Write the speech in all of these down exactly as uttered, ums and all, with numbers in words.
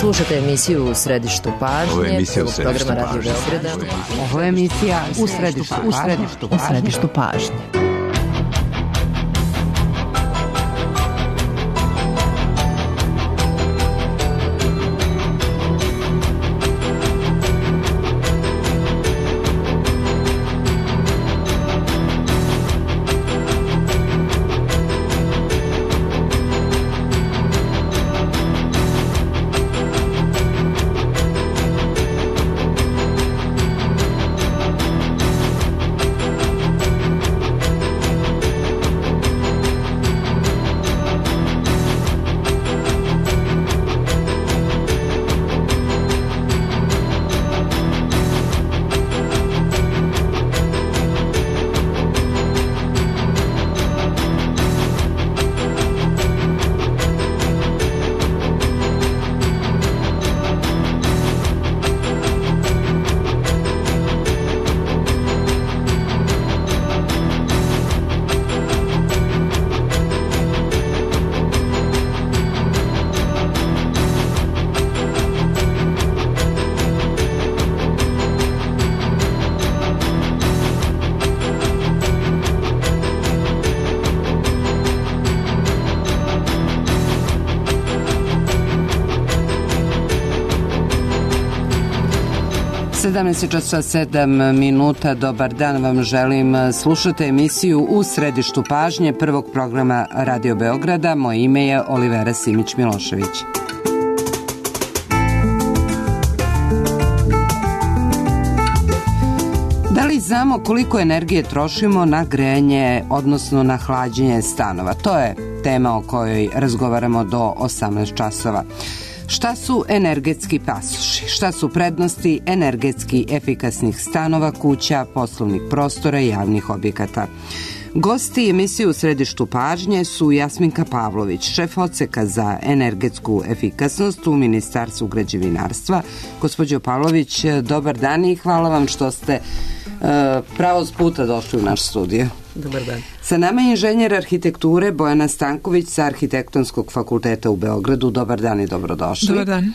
Slušate emisiju U središtu pažnje. Ovo je emisija U središtu programa pažnje. Radio Beograda. Ovo je emisija U središtu pažnje. U središtu pažnje. U središtu pažnje. sedamnaest časova sedam minuta, dobar dan vam želim. Slušate emisiju U središtu pažnje prvog programa Radio Beograda. Moje ime je Olivera Simić-Milošević. Da li znamo koliko energije trošimo na grejanje, odnosno na hlađenje stanova? To je tema o kojoj razgovaramo do osamnaest časova. Šta su energetski pasoši? Šta su prednosti energetski efikasnih stanova, kuća, poslovnih prostora i javnih objekata? Gosti emisije U središtu pažnje su Jasminka Pavlović, šef odseka za energetsku efikasnost u Ministarstvu građevinarstva. Gospođo Pavlović, dobar dan i hvala vam što ste uh, pravo s puta došli u naš studio. Dobar dan. Sa nama je inženjer arhitekture Bojana Stanković sa Arhitektonskog fakulteta u Beogradu. Dobar dan i dobrodošli. Dobar dan.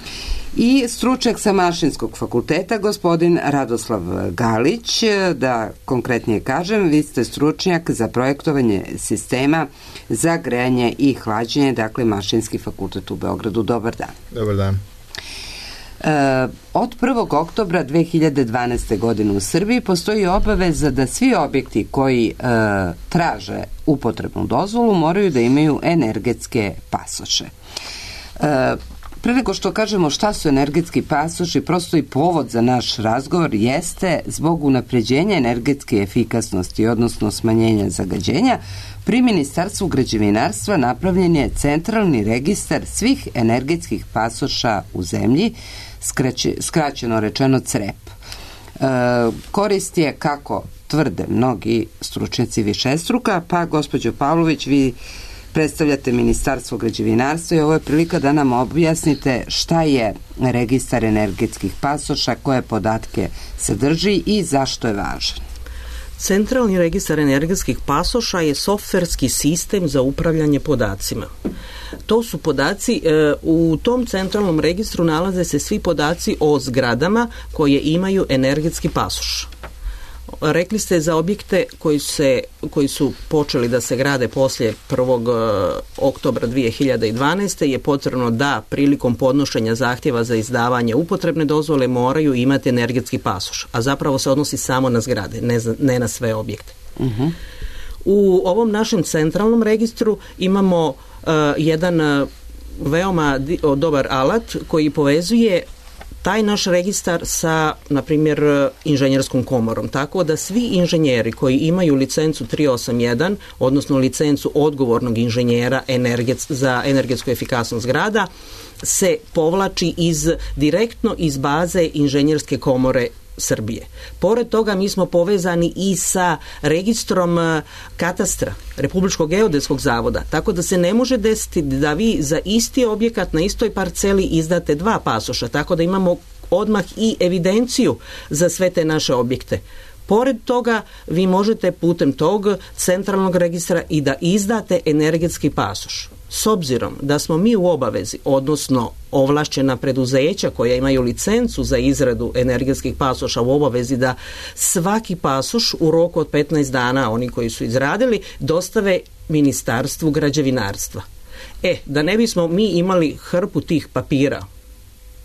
I stručnjak sa Mašinskog fakulteta, gospodin Radoslav Galić. Da konkretnije kažem, vi ste stručnjak za projektovanje sistema za grejanje i hlađenje, dakle Mašinski fakultet u Beogradu. Dobar dan. Dobar dan. E, od prvog oktobra dve hiljade dvanaeste. godine u Srbiji postoji obaveza da svi objekti koji e, traže upotrebnu dozvolu moraju da imaju energetske pasoše. E, pre nego što kažemo šta su energetski pasoši, prosto i povod za naš razgovor jeste zbog unapređenja energetske efikasnosti, odnosno smanjenja zagađenja. Pri Ministarstvu građevinarstva napravljen je centralni registar svih energetskih pasoša u zemlji, skraće, skraćeno rečeno CREP. E, korist je, kako tvrde mnogi stručnjaci, višestruka, pa gospođo Pavlović, vi predstavljate Ministarstvo građevinarstva i ovo je prilika da nam objasnite šta je registar energetskih pasoša, koje podatke sadrži i zašto je važan. Centralni registar energetskih pasoša je softverski sistem za upravljanje podacima. To su podaci, e, u tom centralnom registru nalaze se svi podaci o zgradama koje imaju energetski pasoš. Rekli ste za objekte koji, se, koji su počeli da se grade poslije prvog oktobra dve hiljade dvanaeste. je potrebno da prilikom podnošenja zahtjeva za izdavanje upotrebne dozvole moraju imati energetski pasoš, a zapravo se odnosi samo na zgrade, ne, ne na sve objekte. Uh-huh. U ovom našem centralnom registru imamo uh, jedan uh, veoma di, o, dobar alat koji povezuje taj naš registar sa, na primjer, inženjerskom komorom. Tako da svi inženjeri koji imaju licencu tri osam jedan, odnosno licencu odgovornog inženjera energets, za energetsku efikasnost zgrada, se povlači iz, direktno iz baze inženjerske komore Srbije. Pored toga mi smo povezani i sa registrom katastra Republičkog geodetskog zavoda, tako da se ne može desiti da vi za isti objekat na istoj parceli izdate dva pasoša, tako da imamo odmah i evidenciju za sve te naše objekte. Pored toga, vi možete putem tog centralnog registra i da izdate energetski pasoš. s obzirom da smo mi u obavezi, odnosno ovlašćena preduzeća koja imaju licencu za izradu energetskih pasoša u obavezi da svaki pasoš u roku od petnaest dana, oni koji su izradili, dostave Ministarstvu građevinarstva. E, da ne bismo mi imali hrpu tih papira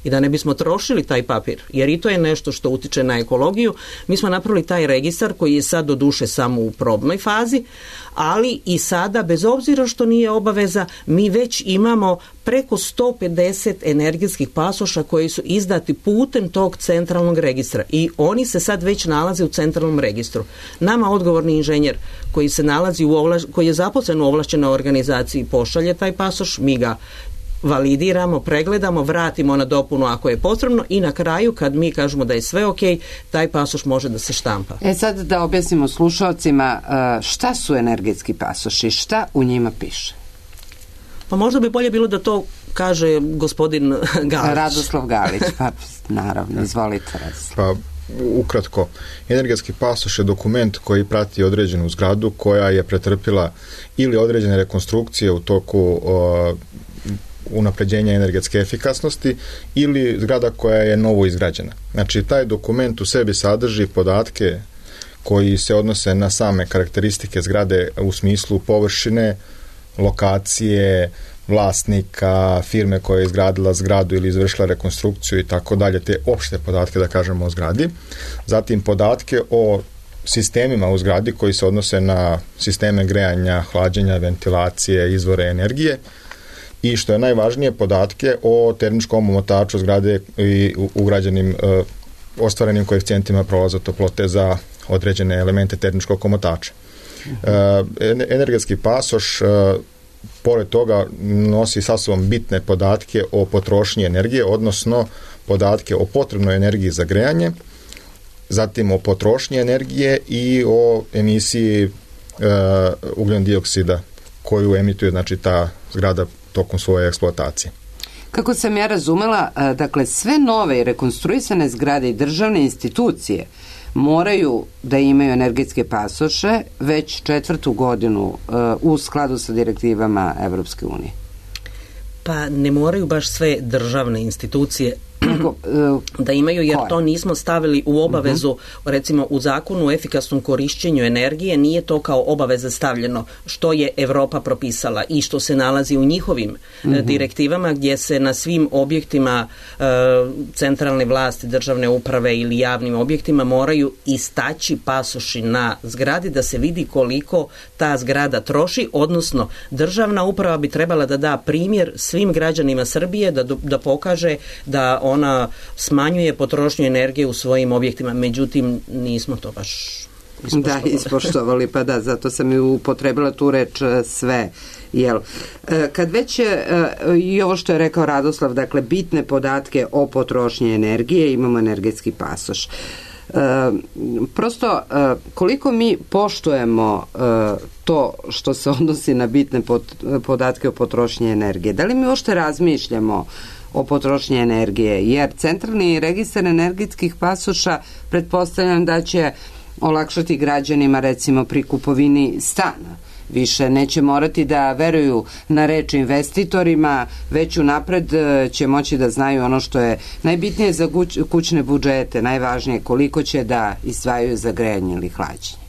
i da ne bismo trošili taj papir, jer i to je nešto što utiče na ekologiju, mi smo napravili taj registar koji je sad do duše samo u probnoj fazi, ali i sada, bez obzira što nije obaveza, mi već imamo preko sto pedeset energetskih pasoša koji su izdati putem tog centralnog registra i oni se sad već nalaze u centralnom registru. Nama odgovorni inženjer koji se nalazi u ovlaš, koji je zaposlen u ovlašćenoj organizaciji pošalje taj pasoš, mi ga validiramo, pregledamo, vratimo na dopunu ako je potrebno i na kraju kad mi kažemo da je sve ok, taj pasoš može da se štampa. E sad da objasnimo slušalcima šta su energetski pasoši, šta u njima piše? Pa možda bi bolje bilo da to kaže gospodin Galić. Radoslav Galić, pa naravno, izvolite Radoslav. Pa ukratko, energetski pasoš je dokument koji prati određenu zgradu koja je pretrpila ili određene rekonstrukcije u toku o, unapređenja energetske efikasnosti ili zgrada koja je novo izgrađena. Znači, taj dokument u sebi sadrži podatke koji se odnose na same karakteristike zgrade u smislu površine, lokacije, vlasnika, firme koja je izgradila zgradu ili izvršila rekonstrukciju i tako dalje, te opšte podatke, da kažemo, o zgradi. Zatim podatke o sistemima u zgradi koji se odnose na sisteme grejanja, hlađenja, ventilacije, izvore energije i što je najvažnije, podatke o termičkom omotaču zgrade i ugrađenim e, ostvarenim koeficijentima prolaza toplote za određene elemente termičkog omotača. E, energetski pasoš e, pored toga nosi sa sobom bitne podatke o potrošnji energije, odnosno podatke o potrebnoj energiji za grejanje, zatim o potrošnji energije i o emisiji e, ugljen dioksida koju emituje, znači, ta zgrada tokom svoje eksploatacije. Kako sam ja razumela, dakle, sve nove i rekonstruisane zgrade i državne institucije moraju da imaju energetske pasoše već četvrtu godinu u skladu sa direktivama Evropske unije. Pa ne moraju baš sve državne institucije da imaju, jer to nismo stavili u obavezu, uh-huh. recimo u zakonu o efikasnom korišćenju energije nije to kao obaveza stavljeno što je Evropa propisala i što se nalazi u njihovim uh-huh. direktivama gdje se na svim objektima e, centralne vlasti, državne uprave ili javnim objektima moraju istaći pasoši na zgradi da se vidi koliko ta zgrada troši, odnosno državna uprava bi trebala da da primjer svim građanima Srbije da, da pokaže da ona smanjuje potrošnju energije u svojim objektima, međutim nismo to baš ispoštovali. Da, ispoštovali, pa da, zato sam i upotrebila tu reč sve. Jel? Kad već i ovo što je rekao Radoslav, dakle, bitne podatke o potrošnji energije, imamo energetski pasoš. Prosto, koliko mi poštujemo to što se odnosi na bitne podatke o potrošnji energije? Da li mi uopšte razmišljamo o potrošnji energije, jer centralni registar energetskih pasoša pretpostavljam da će olakšati građanima recimo pri kupovini stana. Više neće morati da veruju na reč investitorima, već unapred će moći da znaju ono što je najbitnije za kućne budžete, najvažnije koliko će da izdvajaju za grejanje ili hlađenje.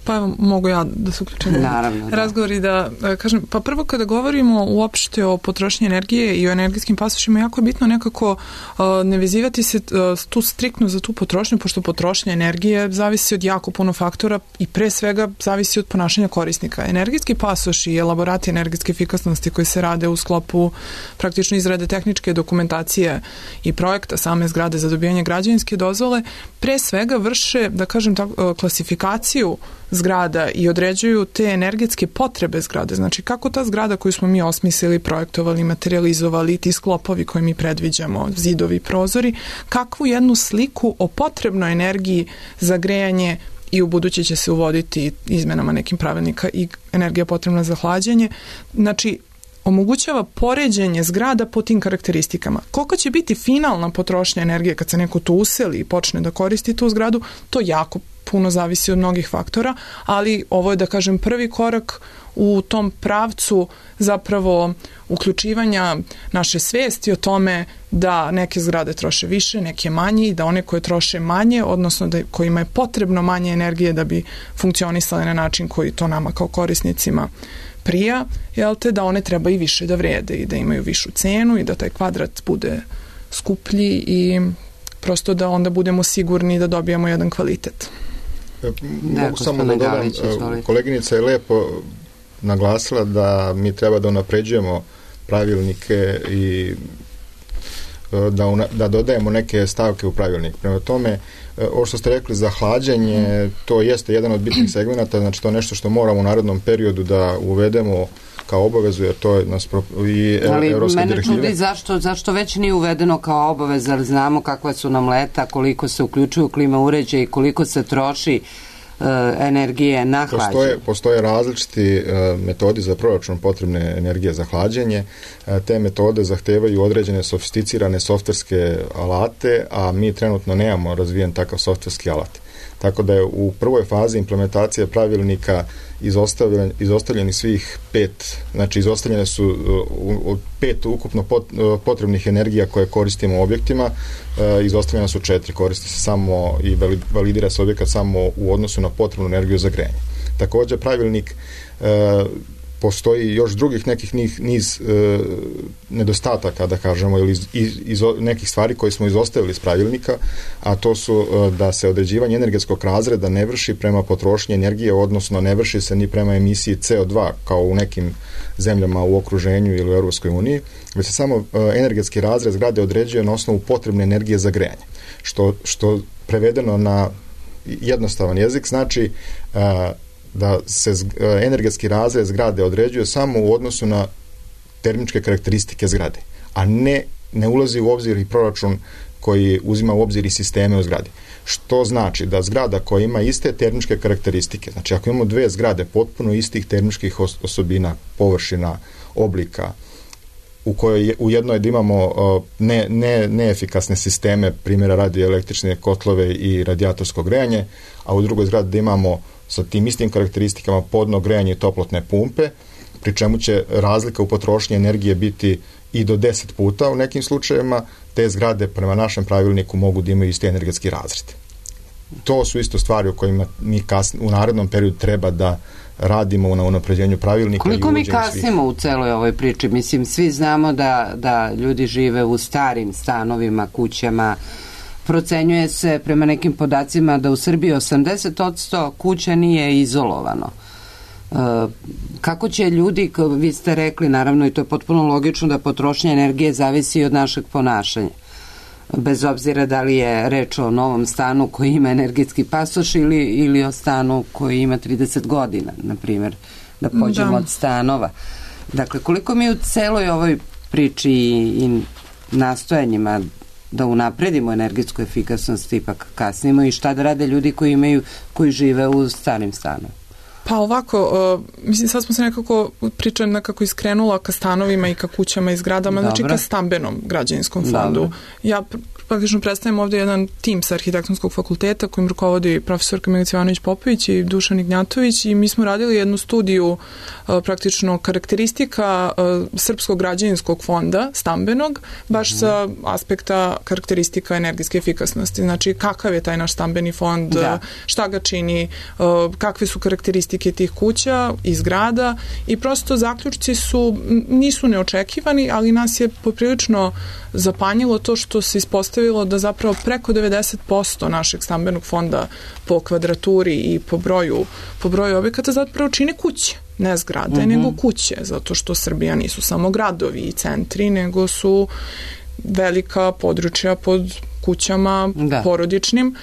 Pa mogu ja da se uključim Naravno, da. razgovor i da kažem, pa prvo kada govorimo uopšte o potrošnji energije i o energetskim pasošima, jako je bitno nekako uh, ne vezivati se uh, tu striktno za tu potrošnju, pošto potrošnja energije zavisi od jako puno faktora i pre svega zavisi od ponašanja korisnika. Energetski pasoš i elaborati energetske efikasnosti koji se rade u sklopu praktično izrade tehničke dokumentacije i projekta same zgrade za dobijanje građevinske dozvole, pre svega vrše, da kažem tako, klasifikaciju zgrada i određuju te energetske potrebe zgrade. Znači, kako ta zgrada koju smo mi osmislili, projektovali, materializovali, ti sklopovi koje mi predviđamo, zidovi, prozori, kakvu jednu sliku o potrebnoj energiji za grejanje i u buduće će se uvoditi izmenama nekim pravilnika i energija potrebna za hlađenje. Znači, omogućava poređenje zgrada po tim karakteristikama. Koliko će biti finalna potrošnja energije kad se neko tu useli i počne da koristi tu zgradu, to jako puno zavisi od mnogih faktora, ali ovo je, da kažem, prvi korak u tom pravcu zapravo uključivanja naše svesti o tome da neke zgrade troše više, neke manje i da one koje troše manje, odnosno da kojima je potrebno manje energije da bi funkcionisale na način koji to nama kao korisnicima prija, jel te, da one treba i više da vrede i da imaju višu cenu i da taj kvadrat bude skuplji i prosto da onda budemo sigurni da dobijamo jedan kvalitet. Mogu samo da dodam, koleginica je lepo naglasila da mi treba da unapređujemo pravilnike i da, una, da dodajemo neke stavke u pravilnik. Prema tome, ovo što ste rekli za hlađenje, to jeste jedan od bitnih segmenata, znači to je nešto što moramo u narednom periodu da uvedemo kao obavezu, jer to je nas pro, i ali evropske mene direktive. čudi zašto, zašto već nije uvedeno kao obaveza, ali znamo kakva su nam leta, koliko se uključuju klima uređaji, koliko se troši uh, energije na hlađenje. Postoje, postoje različiti uh, metodi za proračun potrebne energije za hlađenje. Uh, te metode zahtevaju određene sofisticirane softverske alate, a mi trenutno nemamo razvijen takav softverski alat. Tako da je u prvoj fazi implementacije pravilnika izostavljen, izostavljeni svih pet, znači izostavljene su od pet ukupno potrebnih energija koje koristimo u objektima, izostavljena su četiri, koristi se samo i validira se objekat samo u odnosu na potrebnu energiju za grejanje. Također pravilnik postoji još drugih nekih niz, niz e, nedostataka, da kažemo, ili iz, iz nekih stvari koje smo izostavili iz pravilnika, a to su e, da se određivanje energetskog razreda ne vrši prema potrošnji energije, odnosno ne vrši se ni prema emisiji C O dva kao u nekim zemljama u okruženju ili u Europskoj uniji, već se samo e, energetski razred zgrade određuje na osnovu potrebne energije za grejanje, što, što prevedeno na jednostavan jezik znači e, da se energetski razred zgrade određuje samo u odnosu na termičke karakteristike zgrade, a ne, ne ulazi u obzir i proračun koji uzima u obzir i sisteme u zgradi. Što znači da zgrada koja ima iste termičke karakteristike, znači ako imamo dve zgrade potpuno istih termičkih osobina, površina, oblika, u kojoj je, u jednoj da imamo ne, ne, neefikasne sisteme, primjera radi električne kotlove i radijatorsko grejanje, a u drugoj zgradi da imamo sa tim istim karakteristikama podno grejanje i toplotne pumpe, pri čemu će razlika u potrošnji energije biti i do deset puta u nekim slučajevima, te zgrade prema našem pravilniku mogu da imaju isti energetski razred. To su isto stvari o kojima mi kasn, u narednom periodu treba da radimo na unapređenju pravilnika. Koliko i mi kasnimo svih. U celoj ovoj priči? Mislim, svi znamo da, da ljudi žive u starim stanovima, kućama. Procenjuje se prema nekim podacima da u Srbiji osamdeset posto kuća nije izolovano. E, kako će ljudi, vi ste rekli, naravno i to je potpuno logično da potrošnja energije zavisi od našeg ponašanja. Bez obzira da li je reč o novom stanu koji ima energetski pasoš ili, ili o stanu koji ima trideset godina, na primjer, da pođemo da. Od stanova. Dakle, koliko mi u celoj ovoj priči i nastojanjima da unapredimo energetsku efikasnost ipak kasnimo i šta da rade ljudi koji imaju, koji žive u starim stanovima? Pa ovako, uh, mislim, sad smo se nekako priča nekako iskrenula ka stanovima i ka kućama i zgradama, Dobre. Znači ka stambenom građevinskom fondu. Dobre. Ja praktično predstavljam ovdje jedan tim sa arhitektonskog fakulteta kojim rukovodi profesorka Milica Ivanović-Popović i Dušan Ignjatović i mi smo radili jednu studiju uh, praktično karakteristika uh, srpskog građevinskog fonda, stambenog, baš mm. sa aspekta karakteristika energetske efikasnosti. Znači kakav je taj naš stambeni fond, da. Šta ga čini, uh, kakve su karakteristike tih kuća i zgrada i prosto zaključci su, nisu neočekivani, ali nas je poprilično zapanjilo to što se ispostavilo da zapravo preko devedeset posto našeg stambenog fonda po kvadraturi i po broju, po broju objekata zapravo čine kuće, ne zgrade, mm-hmm. nego kuće, zato što Srbija nisu samo gradovi i centri, nego su velika područja pod kućama da. Porodičnim.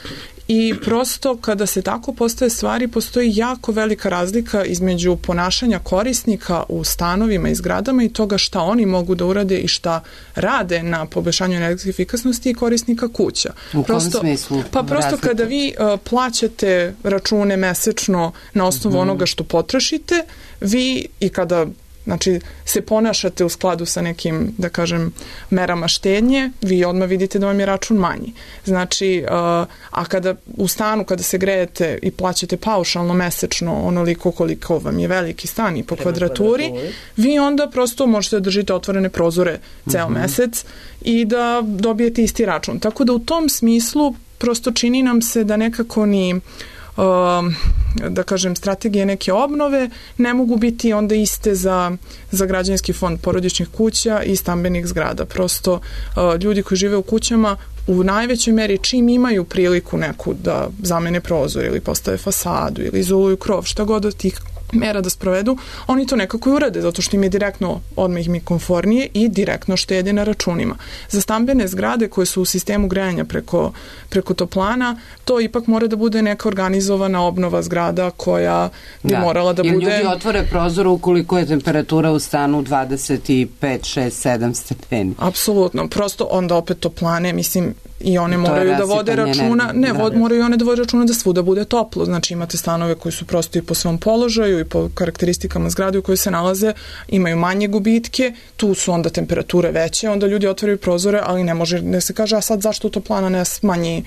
I prosto kada se tako postave stvari, postoji jako velika razlika između ponašanja korisnika u stanovima i zgradama i toga šta oni mogu da urade i šta rade na poboljšanju energetske efikasnosti i korisnika kuća. U prosto, kom smislu? Pa prosto razlika? Kada vi uh, plaćate račune mesečno na osnovu mm-hmm. onoga što potrošite, vi i kada znači se ponašate u skladu sa nekim, da kažem, merama štednje, vi odmah vidite da vam je račun manji. Znači, a kada u stanu, kada se grejete i plaćate paušalno mesečno onoliko koliko vam je veliki stan i po kvadraturi, vi onda prosto možete da držite otvorene prozore ceo mm-hmm. mesec i da dobijete isti račun. Tako da u tom smislu prosto čini nam se da nekako ni da kažem, strategije neke obnove ne mogu biti onda iste za, za građevinski fond porodičnih kuća i stambenih zgrada. Prosto ljudi koji žive u kućama u najvećoj meri čim imaju priliku neku da zamene prozor ili postave fasadu ili izoluju krov, šta god od tih mera da sprovedu, oni to nekako i urade, zato što im je direktno odmah im je komfornije i direktno štede na računima. Za stambene zgrade koje su u sistemu grejanja preko, preko toplana, to ipak mora da bude neka organizovana obnova zgrada koja bi da. morala da Jer bude... Jer ljudi otvore prozor ukoliko je temperatura u stanu dvadeset pet, šest, sedam stepeni. Apsolutno, prosto onda opet toplane, mislim, i one moraju da vode računa, ne, ne vod, moraju one da vode računa da svuda bude toplo. Znači imate stanove koji su prosto i po svom položaju i po karakteristikama zgrade u kojoj se nalaze, imaju manje gubitke, tu su onda temperature veće, onda ljudi otvaraju prozore, ali ne može, ne se kaže, a sad zašto toplana ne smanji,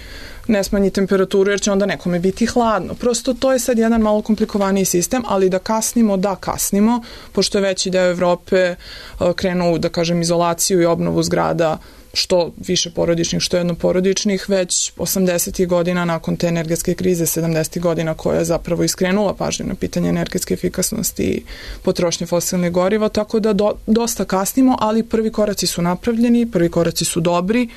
ne smanji temperaturu, jer će onda nekome biti hladno. Prosto to je sad jedan malo komplikovaniji sistem, ali da kasnimo, da kasnimo, pošto je veći deo Evrope krenuo, da kažem, izolaciju i obnovu zgrada, što više porodičnih, što jednoporodičnih, već osamdesetih godina nakon te energetske krize, sedamdesetih godina koja je zapravo iskrenula pažnju na pitanje energetske efikasnosti i potrošnje fosilnih goriva, tako da do, dosta kasnimo, ali prvi koraci su napravljeni, prvi koraci su dobri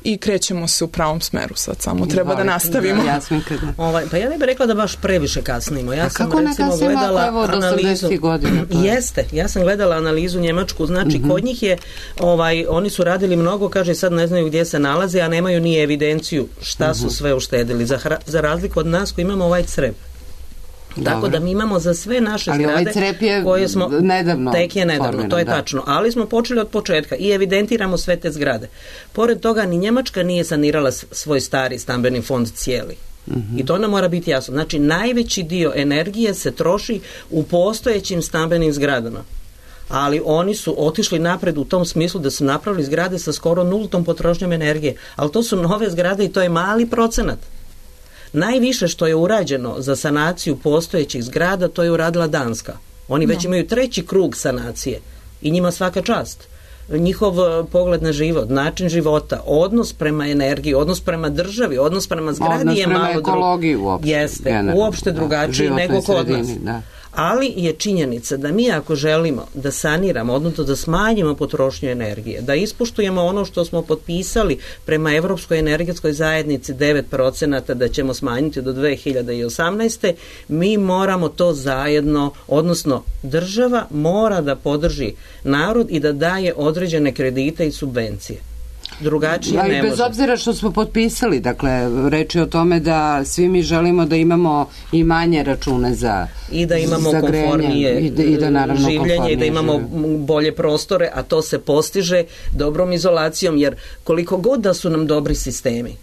i krećemo se u pravom smeru sad, samo treba da nastavimo. Da, da. Ovaj, pa ja ne bih rekla da baš previše kasnimo. Ja A sam kako recimo gledala evo, analizu. Godina, Jeste, ja sam gledala analizu njemačku, znači mm-hmm. kod njih je, ovaj, oni su radili mnogo, kaže sad ne znaju gdje se nalaze, a nemaju ni evidenciju šta uh-huh. su sve uštedili. Za, hra, za razliku od nas koji imamo ovaj crep. Tako Dobre. Da mi imamo za sve naše ali zgrade ovaj crep je koje smo nedavno tek je nedavno, formiran, to je da. tačno, ali smo počeli od početka i evidentiramo sve te zgrade. Pored toga ni Njemačka nije sanirala svoj stari stambeni fond cijeli. Mm-hmm. I to nam mora biti jasno. Znači najveći dio energije se troši u postojećim stambenim zgradama. Ali oni su otišli napred u tom smislu da su napravili zgrade sa skoro nultom potrošnjom energije. Ali to su nove zgrade i to je mali procenat. Najviše što je urađeno za sanaciju postojećih zgrada, to je uradila Danska. Oni već no. imaju treći krug sanacije i njima svaka čast. Njihov pogled na život, način života, odnos prema energiji, odnos prema državi, odnos prema zgradi odnos je malo ekologiji uopšte. Jeste, generalno, uopšte drugačiji da, nego kod nas. Da. Ali je činjenica da mi ako želimo da saniramo, odnosno da smanjimo potrošnju energije, da ispoštujemo ono što smo potpisali prema Evropskoj energetskoj zajednici devet procenata da ćemo smanjiti do dve hiljade osamnaeste. mi moramo to zajedno, odnosno država mora da podrži narod i da daje određene kredite i subvencije. Drugačije ja, ne bez može. Obzira što smo potpisali, dakle, reč je o tome da svi mi želimo da imamo i manje račune za i da imamo komfornije i da, i da, naravno, življenje i da imamo življenje. Bolje prostore, a to se postiže dobrom izolacijom, jer koliko god da su nam dobri sistemi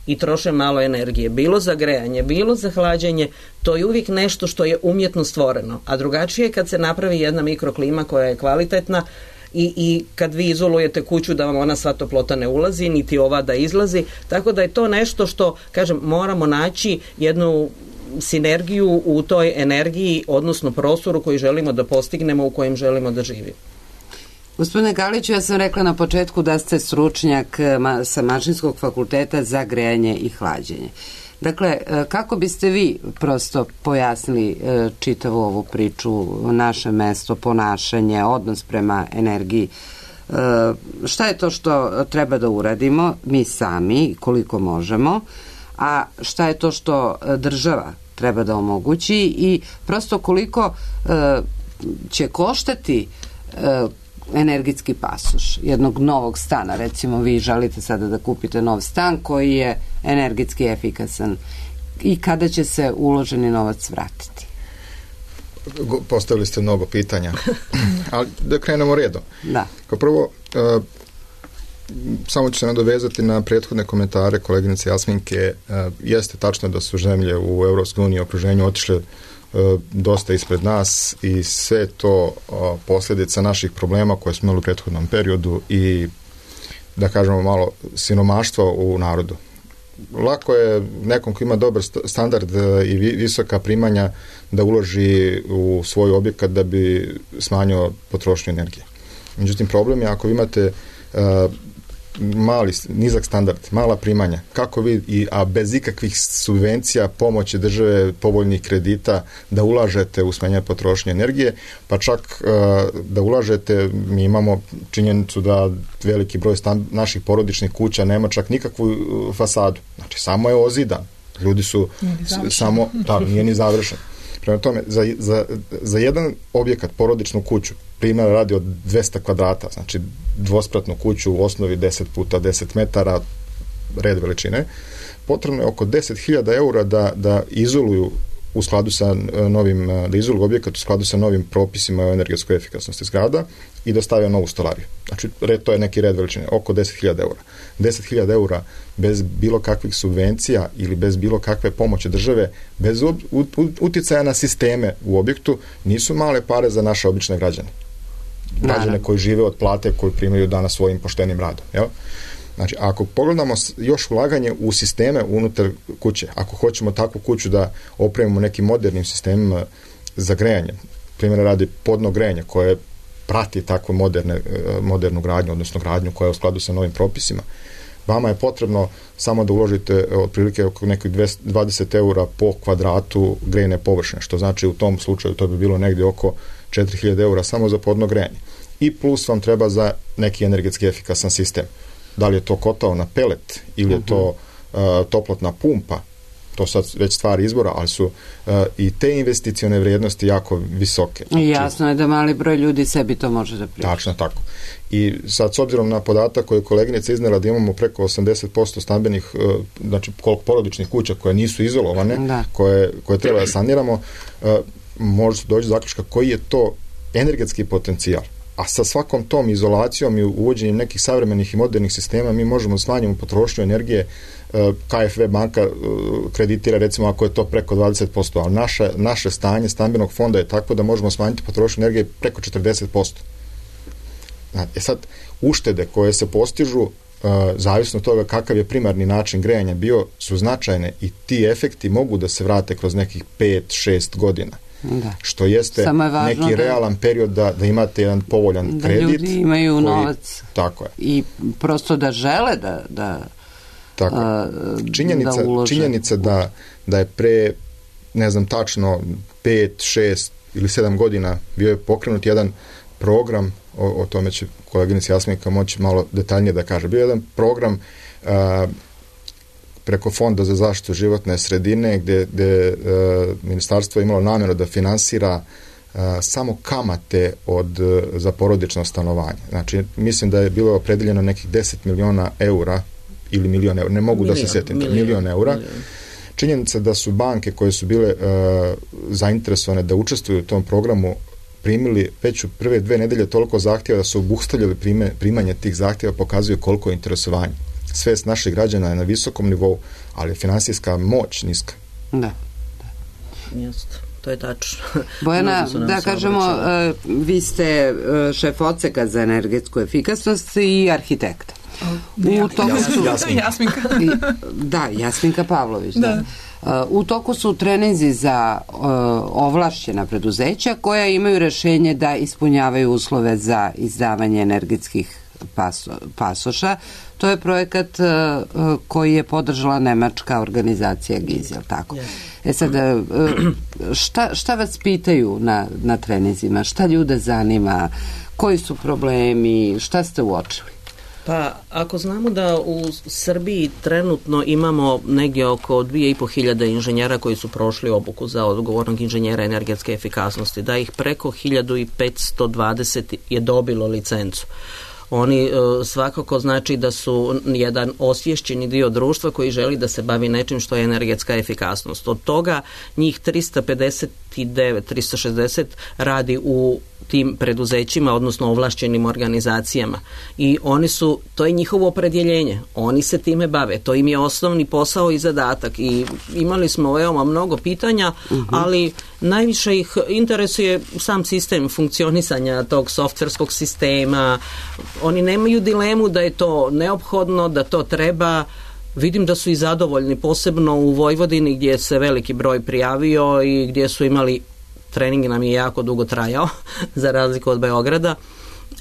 i troše malo energije, bilo za grejanje, bilo za hlađenje, to je uvijek nešto što je umjetno stvoreno, a drugačije je kad se napravi jedna mikroklima koja je kvalitetna. I, i kad vi izolujete kuću da vam ona sva toplota ne ulazi, niti ova da izlazi, tako da je to nešto što, kažem, moramo naći jednu sinergiju u toj energiji, odnosno prostoru koji želimo da postignemo, u kojem želimo da živimo. Gospodine Galiću, ja sam rekla na početku da ste stručnjak ma, sa Mašinskog fakulteta za grejanje i hlađenje. Dakle, kako biste vi prosto pojasnili čitavu ovu priču, naše mesto, ponašanje, odnos prema energiji? Šta je to što treba da uradimo mi sami, koliko možemo, a šta je to što država treba da omogući i prosto koliko će koštati energetski pasoš jednog novog stana. Recimo, vi želite sada da kupite nov stan koji je energetski efikasan i kada će se uloženi novac vratiti? Postavili ste mnogo pitanja, ali da krenemo redom. Da. Kao prvo, uh, samo ću se nadovezati na prethodne komentare koleginice Jasminke. Uh, jeste tačno da su zemlje u Evropskoj uniji okruženju otišle dosta ispred nas i sve to posljedica naših problema koje smo imali u prethodnom periodu i da kažemo malo siromaštva u narodu. Lako je nekom ko ima dobar standard i visoka primanja da uloži u svoj objekat da bi smanjio potrošnju energije. Međutim, problem je ako vi imate uh, mali, nizak standard, mala primanja, kako vi, i, a bez ikakvih subvencija, pomoći države, povoljnih kredita, da ulažete u smanjenje potrošnje energije, pa čak uh, da ulažete, mi imamo činjenicu da veliki broj stan, naših porodičnih kuća nema čak nikakvu uh, fasadu. Znači, samo je ozidan. Ljudi su samo, da, nije ni završen. Prema tome, za, za, za jedan objekat, porodičnu kuću, primjer radi od dvesta kvadrata, znači dvospratnu kuću u osnovi deset puta deset metara, red veličine, potrebno je oko deset hiljada eura da, da izoluju u skladu sa novim, da izoluju objekat u skladu sa novim propisima o energetskoj efikasnosti zgrada i da stave novu stolariju. Znači, red, to je neki red veličine, oko deset hiljada eura. deset hiljada eura bez bilo kakvih subvencija ili bez bilo kakve pomoći države, bez uticaja na sisteme u objektu, nisu male pare za naše obične građane. Građane koji žive od plate koju primaju danas svojim poštenim radom. Jel? Znači, ako pogledamo još ulaganje u sisteme unutar kuće, ako hoćemo takvu kuću da opremimo nekim modernim sistemima za grejanje, primjer radi podno grejanje koje prati takvu moderne, modernu gradnju, odnosno gradnju koja je u skladu sa novim propisima, vama je potrebno samo da uložite otprilike oko nekih dvadeset eura po kvadratu grejne površine, što znači u tom slučaju to bi bilo negdje oko četiri hiljade eura samo za podno grejanje. I plus vam treba za neki energetski efikasan sistem. Da li je to kotao na pelet ili je to uh, toplotna pumpa, to sad već stvari izbora, ali su uh, i te investicione vrijednosti jako visoke. Znači, jasno je da mali broj ljudi sebi to može da priušti. Tačno tako. I sad s obzirom na podatak koji je koleginica iznela da imamo preko osamdeset posto stambenih, uh, znači koliko porodičnih kuća koje nisu izolovane, da. koje, koje treba da saniramo, uh, može doći do zaključka koji je to energetski potencijal. A sa svakom tom izolacijom i uvođenjem nekih savremenih i modernih sistema mi možemo smanjiti potrošnju energije. K F V banka kreditira recimo ako je to preko dvadeset posto, ali naše, naše stanje stambenog fonda je tako da možemo smanjiti potrošnju energije preko četrdeset posto. E sad, uštede koje se postižu zavisno od toga kakav je primarni način grejanja bio su značajne i ti efekti mogu da se vrate kroz nekih pet šest godina. Da. Što jeste je neki realan da, period da, da imate jedan povoljan da kredit. Da ljudi imaju koji, novac. Tako je. I prosto da žele da da, tako a, činjenica, da ulože. Činjenica da, da je pre, ne znam tačno, pet, šest ili sedam godina bio je pokrenut jedan program, o, o tome će koleginica Jasminka moći malo detaljnije da kaže. Bio je jedan program a, preko Fonda za zaštitu životne sredine gdje, gdje uh, ministarstvo je imalo namjeru da finansira uh, samo kamate od, uh, za porodično stanovanje. Znači, mislim da je bilo opredeljeno nekih deset miliona eura ili milion eura, ne mogu milion, da se sjetim, milion, milion eura. Milion. Činjenica da su banke koje su bile uh, zainteresovane da učestvuju u tom programu primili već u prve dve nedelje toliko zahtjeva da su obustavljali prime, primanje tih zahtjeva, pokazuju koliko je interesovanje. Svest naših građana je na visokom nivou, ali je finansijska moć niska. Da. da. Jeste, to je tačno. Bojana, da kažemo, uh, vi ste uh, šef odseka za energetsku efikasnost i arhitekta. Da, u toku su... Jasminka. Jasminka. Da, Jasminka Pavlović. Da. Da. Uh, u toku su treninzi za uh, ovlašćena preduzeća koja imaju rešenje da ispunjavaju uslove za izdavanje energetskih paso, pasoša. To je projekat uh, koji je podržala nemačka organizacija GIZ, jel tako? Yes. E sad, uh, šta, šta vas pitaju na, na treninzima? Šta ljude zanima? Koji su problemi? Šta ste uočili? Pa, ako znamo da u Srbiji trenutno imamo negdje oko dvije i po hiljade inženjera koji su prošli obuku za odgovornog inženjera energetske efikasnosti, da ih preko hiljadu petsto dvadeset je dobilo licencu. Oni uh, svakako znači da su jedan osvješćeni dio društva koji želi da se bavi nečim što je energetska efikasnost. Od toga njih trista pedeset devet, trista šezdeset radi u tim preduzećima, odnosno ovlašćenim organizacijama. I oni su, to je njihovo opredjeljenje. Oni se time bave. To im je osnovni posao i zadatak. I imali smo veoma mnogo pitanja, uh-huh. ali najviše ih interesuje sam sistem funkcionisanja tog softverskog sistema. Oni nemaju dilemu da je to neophodno, da to treba. Vidim da su i zadovoljni, posebno u Vojvodini gdje se veliki broj prijavio i gdje su imali, trening nam je jako dugo trajao za razliku od Beograda,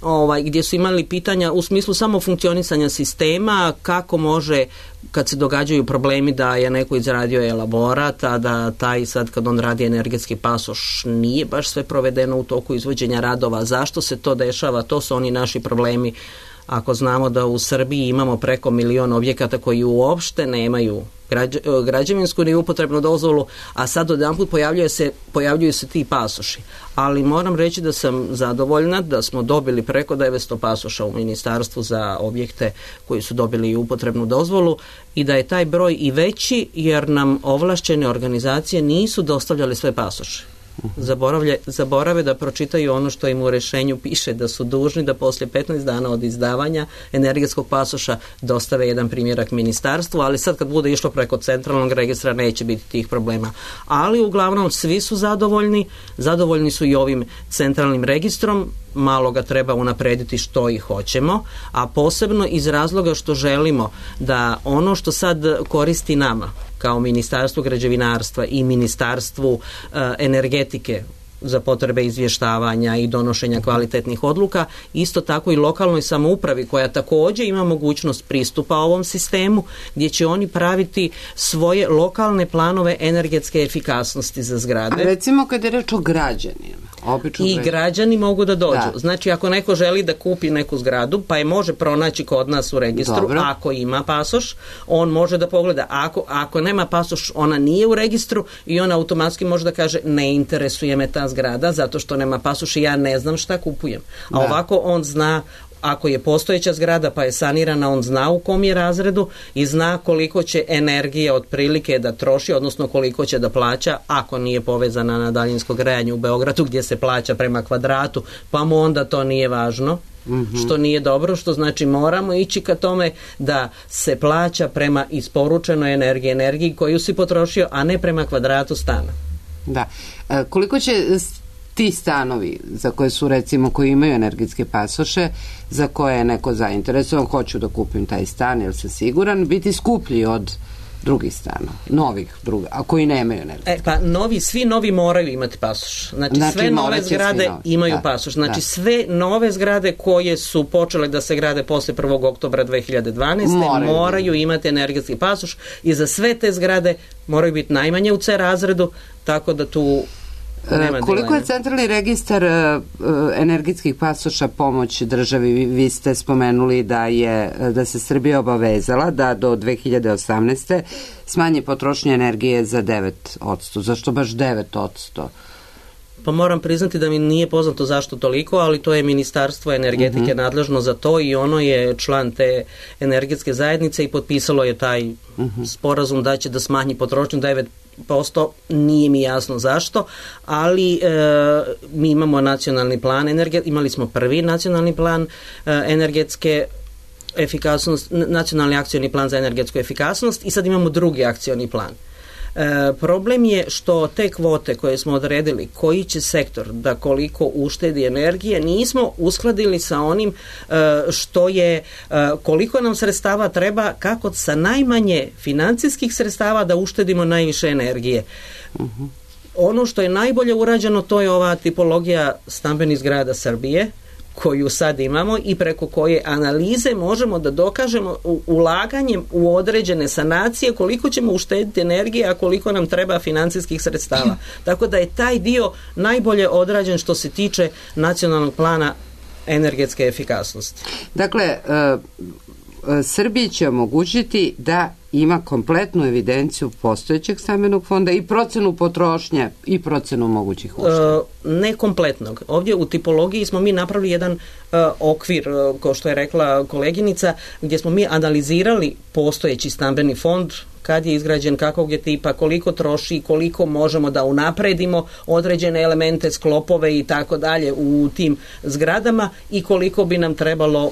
ovaj, gdje su imali pitanja u smislu samo funkcionisanja sistema, kako može kad se događaju problemi da je neko izradio elaborat, a da taj sad kad on radi energetski pasoš nije baš sve provedeno u toku izvođenja radova. Zašto se to dešava? To su oni naši problemi. Ako znamo da u Srbiji imamo preko milion objekata koji uopšte nemaju građe, građevinsku ni upotrebnu dozvolu, a sad odjedanput pojavljuje se, pojavljuju se ti pasoši. Ali moram reći da sam zadovoljna da smo dobili preko devetsto pasoša u ministarstvu za objekte koji su dobili i upotrebnu dozvolu i da je taj broj i veći jer nam ovlašćene organizacije nisu dostavljali sve pasoše. Zaboravlje, zaborave da pročitaju ono što im u rešenju piše, da su dužni da poslije petnaest dana od izdavanja energetskog pasoša dostave jedan primjerak ministarstvu, ali sad kad bude išlo preko centralnog registra neće biti tih problema. Ali uglavnom svi su zadovoljni, zadovoljni su i ovim centralnim registrom, malo ga treba unaprediti što i hoćemo, a posebno iz razloga što želimo da ono što sad koristi nama kao Ministarstvu građevinarstva i Ministarstvu uh, energetike za potrebe izvještavanja i donošenja kvalitetnih odluka, isto tako i lokalnoj samoupravi koja također ima mogućnost pristupa ovom sistemu gdje će oni praviti svoje lokalne planove energetske efikasnosti za zgrade. A recimo kad je reč o građanima. Obično I građani. građani mogu da dođu. Da. Znači ako neko želi da kupi neku zgradu, pa je može pronaći kod nas u registru. Dobro. Ako ima pasoš, on može da pogleda. Ako, ako nema pasoš, ona nije u registru i on automatski može da kaže ne interesuje me ta zgrada zato što nema pasoš i ja ne znam šta kupujem. A Da. ovako on zna, ako je postojeća zgrada pa je sanirana, on zna u kom je razredu i zna koliko će energije otprilike da troši, odnosno koliko će da plaća ako nije povezana na daljinsko grejanje u Beogradu gdje se plaća prema kvadratu, pa mu onda to nije važno. Mm-hmm. Što nije dobro, što znači moramo ići ka tome da se plaća prema isporučenoj energiji, energiji koju si potrošio, a ne prema kvadratu stana. Da. E, koliko će ti stanovi za koje su recimo koji imaju energetske pasoše, za koje je neko zainteresovan, hoću da kupim taj stan jer sam siguran, biti skuplji od drugih stanova, novih druga, a koji nemaju energetske. E, pa novi, svi novi moraju imati pasoš. Znači, Znači, sve nove morat će zgrade svi novi. imaju Da, pasoš. Znači da. sve nove zgrade koje su počele da se grade posle prvog oktobra dve hiljade dvanaeste Moraju. moraju imati energetski pasoš i za sve te zgrade moraju biti najmanje u C razredu, tako da tu nema Koliko dileme. je centralni registar uh, energetskih pasoša pomoć državi? Vi, vi ste spomenuli da je da se Srbija obavezala da do dve hiljade osamnaeste smanji potrošnju energije za devet posto. Zašto baš devet posto? Pa moram priznati da mi nije poznato zašto toliko, ali to je Ministarstvo energetike uh-huh. nadležno za to i ono je član te energetske zajednice i potpisalo je taj uh-huh. sporazum da će da smanji potrošnju devet posto, nije mi jasno zašto, ali e, mi imamo nacionalni plan, energe, imali smo prvi nacionalni plan e, energetske efikasnost, nacionalni akcioni plan za energetsku efikasnost i sad imamo drugi akcioni plan. E, problem je što te kvote koje smo odredili, koji će sektor da koliko uštedi energije, nismo uskladili sa onim e, što je, e, koliko nam sredstava treba, kako sa najmanje financijskih sredstava da uštedimo najviše energije. Uh-huh. Ono što je najbolje urađeno, to je ova tipologija stambenih zgrada Srbije, koju sad imamo i preko koje analize možemo da dokažemo ulaganjem u određene sanacije koliko ćemo uštediti energije, a koliko nam treba financijskih sredstava. Tako da je taj dio najbolje odrađen što se tiče nacionalnog plana energetske efikasnosti. Dakle, Srbiji će omogućiti da ima kompletnu evidenciju postojećeg stambenog fonda i procenu potrošnje i procenu mogućih ušteda. E, ne kompletnog. Ovdje u tipologiji smo mi napravili jedan e, okvir, e, kao što je rekla koleginica, gdje smo mi analizirali postojeći stambeni fond, kad je izgrađen, kakvog je tipa, koliko troši, koliko možemo da unapredimo određene elemente, sklopove i tako dalje u tim zgradama i koliko bi nam trebalo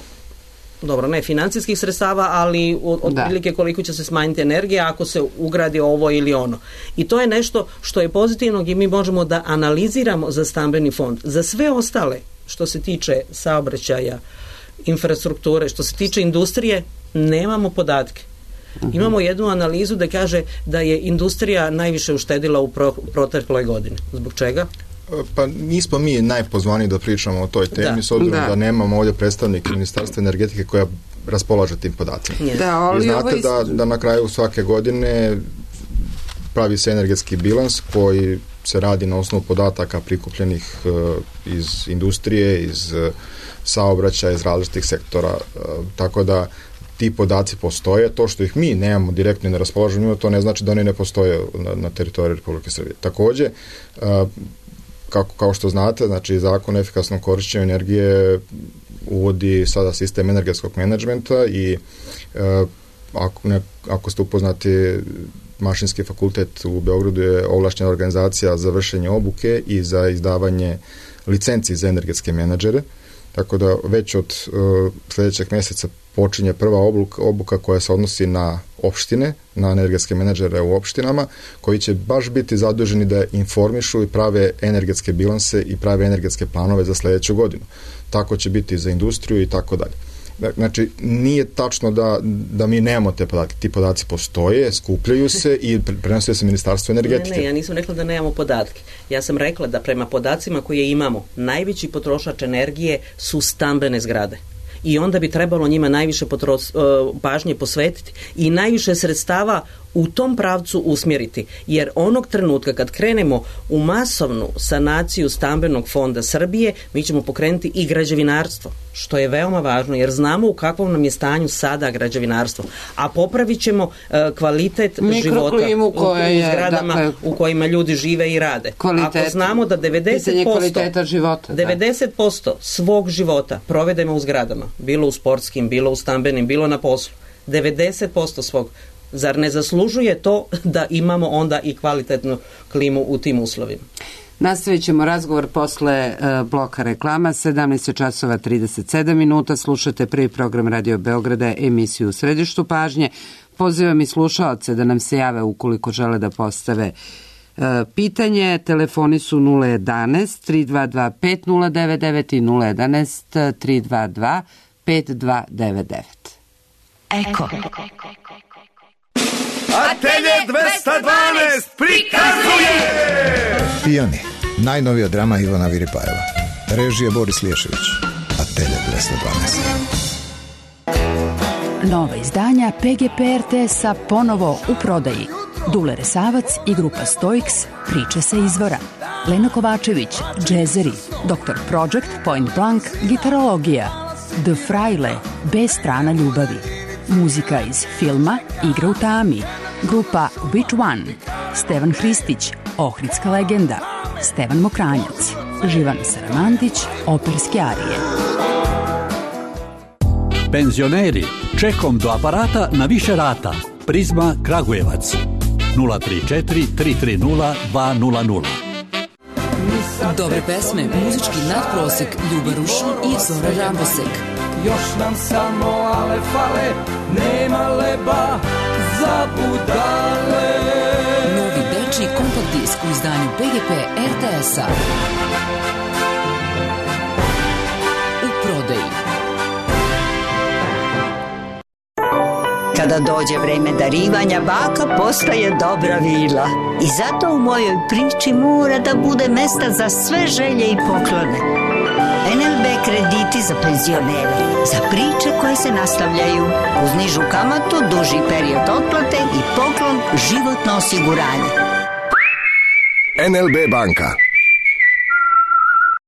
dobro, ne financijskih sredstava, ali otprilike koliko će se smanjiti energija ako se ugradi ovo ili ono. I to je nešto što je pozitivno i mi možemo da analiziramo za stambeni fond. Za sve ostale, što se tiče saobraćaja, infrastrukture, što se tiče industrije, nemamo podatke. Uh-huh. Imamo jednu analizu da kaže da je industrija najviše uštedila u pro, protekloj godini. Zbog čega? Pa nismo mi najpozvaniji da pričamo o toj temi, da. S obzirom da. da nemamo ovdje predstavnike Ministarstva energetike koja raspolaže tim podacima. Da, Vi znate da, da na kraju svake godine pravi se energetski bilans koji se radi na osnovu podataka prikupljenih uh, iz industrije, iz uh, saobraćaja, iz različitih sektora. Uh, tako da ti podaci postoje, to što ih mi nemamo direktno na raspolaženju, to ne znači da oni ne postoje na, na teritoriji Republike Srbije. Također, uh, Kako, kao što znate, znači zakon o efikasnom korišćenju energije uvodi sada sistem energetskog menadžmenta i e, ako, ne, ako ste upoznati, Mašinski fakultet u Beogradu je ovlašćena organizacija za vršenje obuke i za izdavanje licenci za energetske menadžere, tako da već od e, sljedećeg mjeseca počinje prva obuka, obuka koja se odnosi na opštine, na energetske menadžere u opštinama, koji će baš biti zaduženi da informišu i prave energetske bilanse i prave energetske planove za sljedeću godinu. Tako će biti za industriju i tako dalje. Znači, nije tačno da, da mi nemamo te podatke. Ti podaci postoje, skupljaju se i prenose se Ministarstvo energetike. Ne, ne, ja nisam rekla da nemamo podatke. Ja sam rekla da prema podacima koje imamo, najveći potrošač energije su stambene zgrade. I onda bi trebalo njima najviše potro, pažnje posvetiti i najviše sredstava u tom pravcu usmjeriti. Jer onog trenutka kad krenemo u masovnu sanaciju stambenog fonda Srbije, mi ćemo pokrenuti i građevinarstvo, što je veoma važno, jer znamo u kakvom nam je stanju sada građevinarstvo. A popravit ćemo uh, kvalitet života u, u zgradama dakle, u kojima ljudi žive i rade. Kvalitet, ako znamo da devedeset posto, života, devedeset posto svog života provedemo u zgradama, bilo u sportskim, bilo u stambenim, bilo na poslu, devedeset posto svog, zar ne zaslužuje to da imamo onda i kvalitetnu klimu u tim uslovima? Nastavit ćemo razgovor posle uh, bloka reklama, sedamnaest časova trideset sedam minuta, slušate prvi program Radio Beograda, emisiju U središtu pažnje. Pozivam i slušaoce da nam se jave ukoliko žele da postave uh, pitanje. Telefoni su nula jedanaest tri dva dva pet nula devet devet i nula jedanaest tri dva dva pet dva devet devet. Eko. Atelje dvesta dvanaest prikazuje Pijani, najnovija drama Ivana Viripajeva. Režija Boris Liješević. Atelje dvesta dvanaest. Nova izdanja P G P R T S-a ponovo u prodaji. Dule Resavac i grupa Stoiks, priče sa izvora. Lena Kovačević, džezeri. doktor Project, Point Blank, gitarologija. The Fraile, B strana ljubavi. Muzika iz filma Igra u tami. Grupa Which One. Stevan Hristić, Ohridska legenda. Stevan Mokranjac. Živana Saramandić, operske arije. Penzioneri, čekom do aparata na više rata. Prizma Kragujevac. nula tri četiri tri tri nula dva nula nula. Dobre pesme, muzički nadprosek, Ljuba Rušin i Zora Rambosek. Još nam samo ale fale, nema leba za budale. Novi dečiji kompakt disk u izdanju P G P R T S-a. U prodaji. Kada dođe vreme darivanja, baka postaje dobra vila. I zato u mojoj priči mora da bude mesta za sve želje i poklone. N L B krediti za penzionere, za priče koje se nastavljaju, uz nižu kamatu, duži period otplate i poklon životno osiguranje. N L B banka.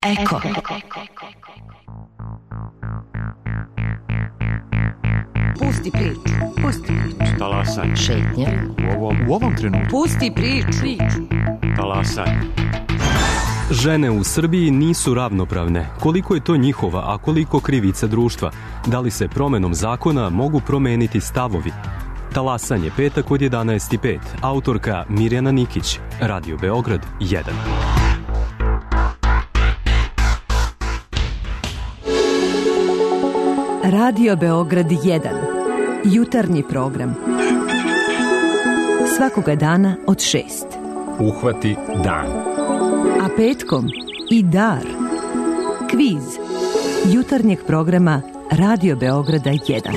Eko. Pusti priču, pusti priču. Talasaj. Šetnja. U ovom, u ovom trenutku. Pusti priču. Talasaj. Žene u Srbiji nisu ravnopravne. Koliko je to njihova, a koliko krivica društva? Da li se promenom zakona mogu promeniti stavovi? Talasanje, petak od jedanaest i pet. Autorka Mirjana Nikić. Radio Beograd jedan. Radio Beograd jedan. Jutarnji program. Svakoga dana od šest. Uhvati dan. A petkom i dar. Kviz. Jutarnjeg programa Radio Beograda jedan.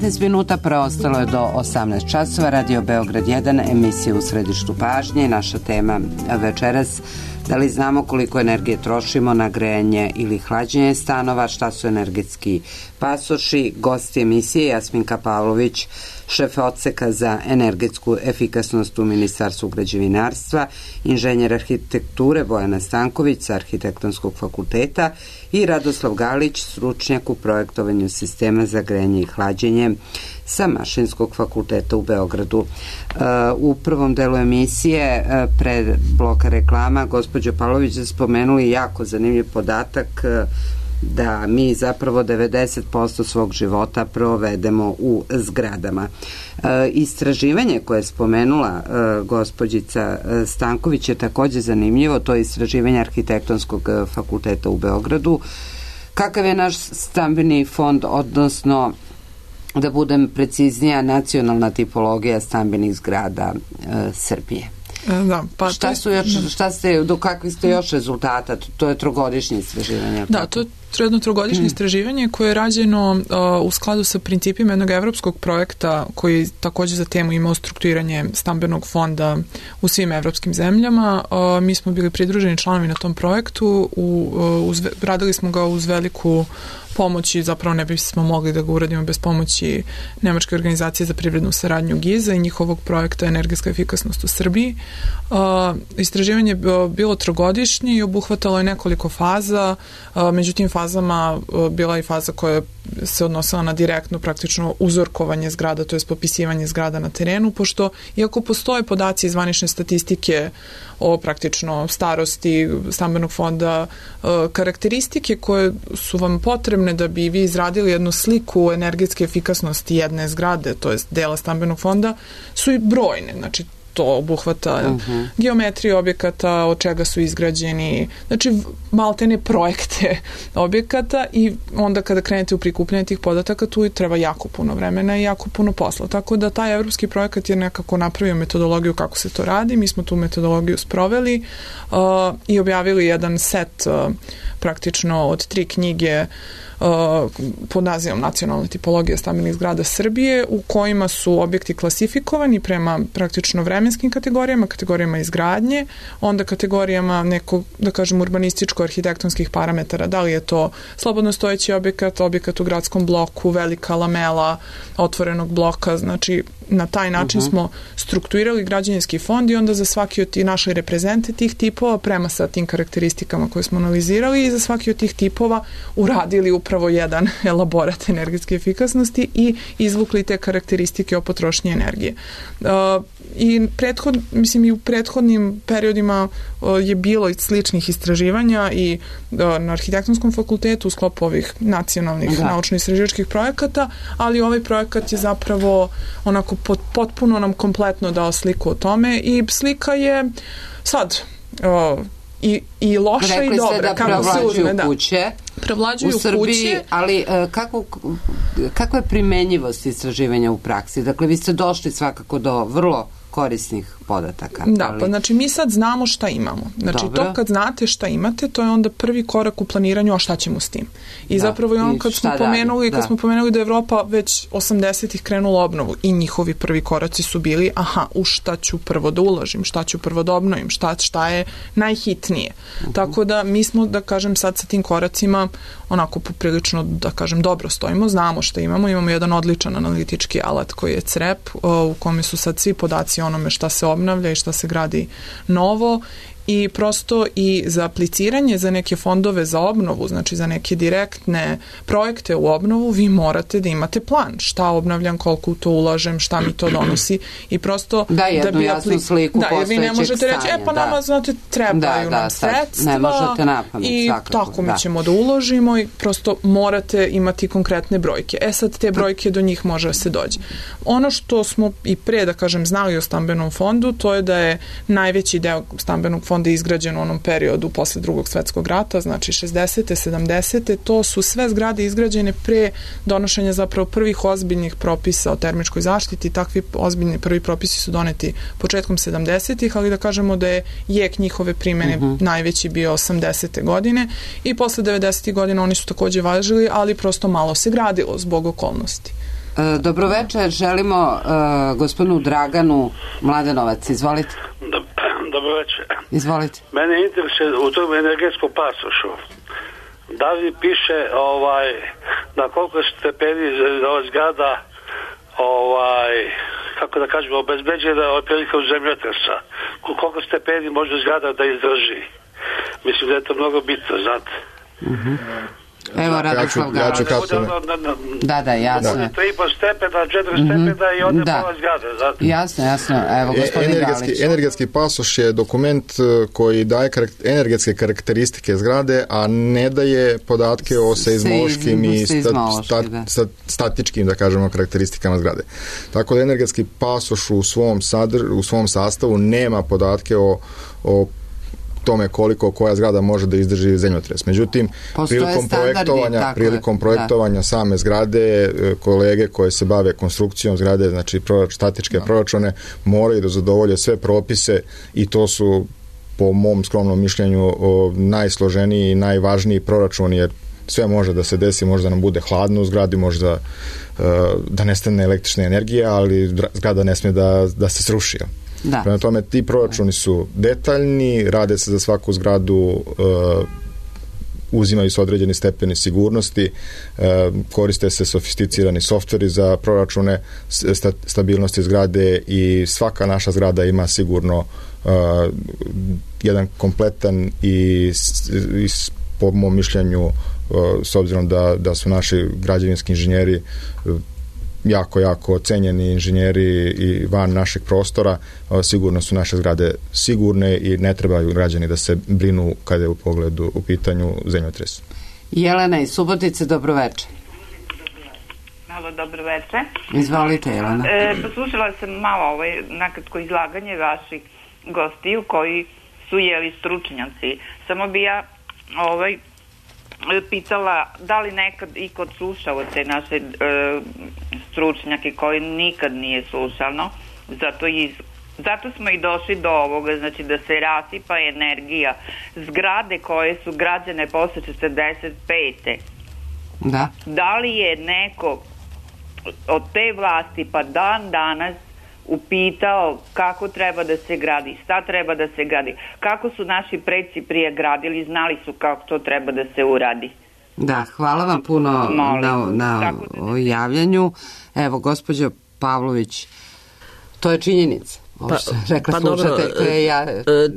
devetnaest minuta preostalo je do osamnaest časova. Radio Beograd jedan, emisija U središtu pažnje. Naša tema večeras: da li znamo koliko energije trošimo na grejanje ili hlađenje stanova, šta su energetski pasoši. Gosti emisije: Jasminka Pavlović, šef odseka za energetsku efikasnost u Ministarstvu građevinarstva, inženjer arhitekture Bojana Stanković sa Arhitektonskog fakulteta i Radoslav Galić, stručnjak u projektovanju sistema za grejanje i hlađenje sa Mašinskog fakulteta u Beogradu. U prvom delu emisije, pred bloka reklama, gospođo Pavlović, da spomenuli jako zanimljiv podatak da mi zapravo devedeset posto svog života provedemo u zgradama. E, istraživanje koje je spomenula e, gospođica Stanković je takođe zanimljivo. To je istraživanje Arhitektonskog fakulteta u Beogradu. Kakav je naš stambeni fond, odnosno, da budem preciznija, nacionalna tipologija stambenih zgrada e, Srbije? Da, pa šta su još, šta ste, do kakvih ste još rezultata? To je trogodišnje istraživanje. Da, to je jedno trogodišnje istraživanje koje je rađeno uh, u skladu sa principima jednog evropskog projekta koji takođe za temu imao strukturiranje stambenog fonda u svim evropskim zemljama. Uh, mi smo bili pridruženi članovi na tom projektu, u, uh, uz, radili smo ga uz veliku pomoć i zapravo ne bismo mogli da ga uradimo bez pomoći Nemačke organizacije za privrednu saradnju GIZA i njihovog projekta Energetska efikasnost u Srbiji. Uh, istraživanje je bilo trogodišnje i obuhvatalo je nekoliko faza, uh, međutim fazama uh, bila je faza koja se odnosila na direktno praktično uzorkovanje zgrada, to je popisivanje zgrada na terenu, pošto iako postoje podaci iz zvanične statistike o praktično starosti stambenog fonda, uh, karakteristike koje su vam potrebne da bi vi izradili jednu sliku energetske efikasnosti jedne zgrade, to jest dela stambenog fonda, su i brojne. Znači, to obuhvata uh-huh. geometriju objekata, od čega su izgrađeni, znači maltene projekte objekata, i onda kada krenete u prikupljanje tih podataka, tu treba jako puno vremena i jako puno posla. Tako da taj evropski projekat je nekako napravio metodologiju kako se to radi. Mi smo tu metodologiju sproveli uh, i objavili jedan set uh, praktično od tri knjige Uh, pod nazivom Nacionalna tipologija stambenih zgrada Srbije, u kojima su objekti klasifikovani prema praktično vremenskim kategorijama, kategorijama izgradnje, onda kategorijama nekog, da kažem, urbanističko-arhitektonskih parametara, da li je to slobodno stojeći objekat, objekat u gradskom bloku, velika lamela otvorenog bloka. Znači, na taj način uh-huh. smo strukturirali građevinski fond i onda za svaki od tih našli reprezente tih tipova prema sa tim karakteristikama koje smo analizirali i za svaki od tih tipova uradili upravo jedan elaborat energetske efikasnosti i izvukli te karakteristike o potrošnji energije. Uh, i prethod, mislim i u prethodnim periodima uh, je bilo i sličnih istraživanja i uh, na Arhitektonskom fakultetu u sklopu ovih nacionalnih da. naučno-istraživačkih projekata, ali ovaj projekat je zapravo onako pot, potpuno nam kompletno dao sliku o tome i slika je sad uh, i, i loša Rekli i dobra. Da prevlađuju kuće prevlađuju u Srbiji, kuće. Ali kako, kakva je primenjivost istraživanja u praksi? Dakle, vi ste došli svakako do vrlo korisnih podataka. Da, ali... pa znači mi sad znamo šta imamo. Znači Dobro. to kad znate šta imate, to je onda prvi korak u planiranju, a šta ćemo s tim. I da, zapravo je on kad smo pomenuli, kad da. smo pomenuli da je Evropa već osamdesetih krenula obnovu i njihovi prvi koraci su bili, aha, u šta ću prvo da uložim, šta ću prvo da obnovim, šta, šta je najhitnije. Uh-huh. Tako da mi smo, da kažem, sad sa tim koracima onako poprilično, da kažem, dobro stojimo, znamo šta imamo, imamo jedan odličan analitički alat koji je C R E P, u kome su sad svi podaci o onome šta se obnavlja i šta se gradi novo i prosto i za apliciranje za neke fondove za obnovu, znači za neke direktne projekte u obnovu, vi morate da imate plan. Šta obnavljam, koliko u to ulažem, šta mi to donosi i prosto da, jednu da bi jasnu sliku da, jer vi ne možete stanja, reći, e pa da. nama, znate, trebaju da, da, nam sredstva ne možete napamet, i svakako, tako da. mi ćemo da uložimo i prosto morate imati konkretne brojke. E sad te brojke do njih može da se dođe. Ono što smo i pre, da kažem, znali o stambenom fondu, to je da je najveći deo stambenog fonda izgrađen u onom periodu posle drugog svetskog rata, znači šezdesete, sedamdesete, to su sve zgrade izgrađene pre donošenja zapravo prvih ozbiljnih propisa o termičkoj zaštiti. Takvi ozbiljni prvi propisi su doneti početkom sedamdesetih, ali da kažemo da je jek njihove primene uh-huh. najveći bio osamdesete godine i posle devedesetih godina oni su takođe važili, ali prosto malo se gradilo zbog okolnosti. E, dobroveče, želimo e, gospodinu Draganu Mladenovac, izvolite. Dobro večer. Izvolite. Mene interesuje u tom energetskom pasošu. Da li piše ovaj, na koliko stepeni ova zgrada ovaj, kako da kažemo, obezbeđena od prilika u zemljotresa. Koliko stepeni može zgrada da izdrži. Mislim da je to mnogo bitno, znate. Mhm. Evo, Radoslav Galović. Ja ću kratko. Da, da, jasno. Bude tri i po stepena, četiri stepena i onda da. pola zgrade, znate. Jasno, jasno. Evo, gospodin energetski, Galić. energetski pasoš je dokument koji daje karak- energetske karakteristike zgrade, a ne daje podatke o seizmološkim i stat, stat, stat, statičkim, da kažemo, karakteristikama zgrade. Tako da energetski pasoš u svom, sadr, u svom sastavu nema podatke o, o tome koliko koja zgrada može da izdrži zemljotres. Međutim, postoje prilikom projektovanja, tako prilikom projektovanja da. same zgrade, kolege koje se bave konstrukcijom zgrade, znači prorač, statičke da. proračune, moraju da zadovolje sve propise i to su po mom skromnom mišljenju o, najsloženiji i najvažniji proračun, jer sve može da se desi, može da nam bude hladno u zgradi, može da, da nestane električna energija, ali zgrada ne smije da, da se sruši. Da. Prema tome, ti proračuni su detaljni, rade se za svaku zgradu, uh, uzimaju se određeni stepeni sigurnosti, uh, koriste se sofisticirani softveri za proračune sta, stabilnosti zgrade i svaka naša zgrada ima sigurno uh, jedan kompletan i, i po mom mišljenju, uh, s obzirom da, da su naši građevinski inženjeri uh, jako, jako cenjeni inženjeri i van našeg prostora, sigurno su naše zgrade sigurne i ne trebaju građani da se brinu kada je u pogledu u pitanju zemljotres. Jelena iz Subotice, dobroveče. Malo dobroveče. Izvolite, Jelena. E, poslušala sam malo ovaj nakratko izlaganje vaših gostiju koji su jeli stručnjaci. Samo bi ja ovaj pitala da li nekad i kod slušao te naše e, stručnjake koji nikad nije slušano, zato, iz, zato smo i došli do ovoga, znači da se rasipa energija zgrade koje su građene posle četrdeset pete. Da. Da li je neko od te vlasti pa dan danas upitao kako treba da se gradi, šta treba da se gradi, kako su naši preci prije gradili, znali su kako to treba da se uradi. Da, hvala vam puno Molim. na, na da... javljanju. Evo, gospođo Pavlović, to je činjenica. Pa, pa dobro, ja...